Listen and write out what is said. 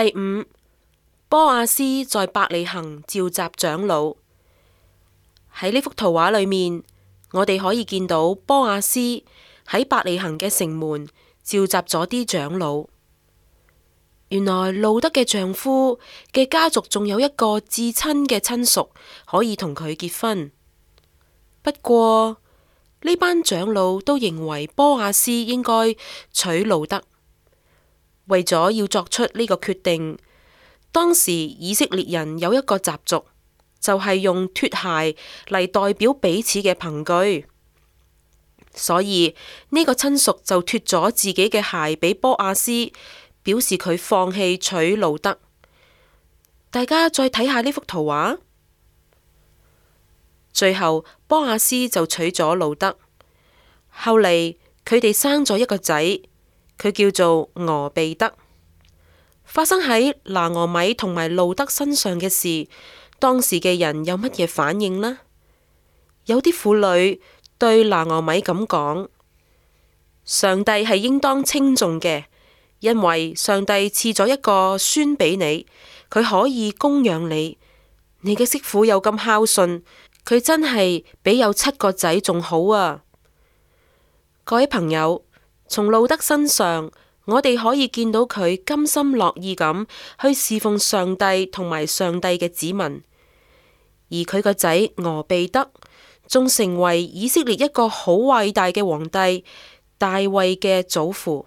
第五，波阿斯在伯利恆召集長老。喺呢幅圖畫裏面，我哋可以見到波阿斯喺伯利恆嘅城門召集咗啲長老。原來路德嘅丈夫嘅家族仲有一個至親嘅親屬可以同佢結婚。不過呢班長老都認為波阿斯應該娶路德。為咗要作出呢個決定，當時以色列人有一個習俗，就係用脫鞋嚟代表彼此嘅憑據。所以呢個親屬就脫咗自己嘅鞋俾波阿斯，表示佢放棄娶路德。大家再睇下呢幅圖畫，最後波阿斯就娶咗路德。後嚟佢哋生咗一個仔，佢叫做俄備得。發生喺拿俄米同埋路德身上嘅事，當時嘅人有乜嘢反應呢？有啲婦女對拿俄米咁講：上帝係應當稱頌嘅，因為上帝賜咗一個孫俾你，佢可以供養你。你嘅媳婦又咁孝順，佢真係比有7個仔仲好啊！各位朋友，從路德身上，我哋可以見到佢甘心樂意咁去侍奉上帝同埋上帝嘅子民，而佢個仔俄備得仲成為以色列一個好偉大嘅皇帝大衛嘅祖父。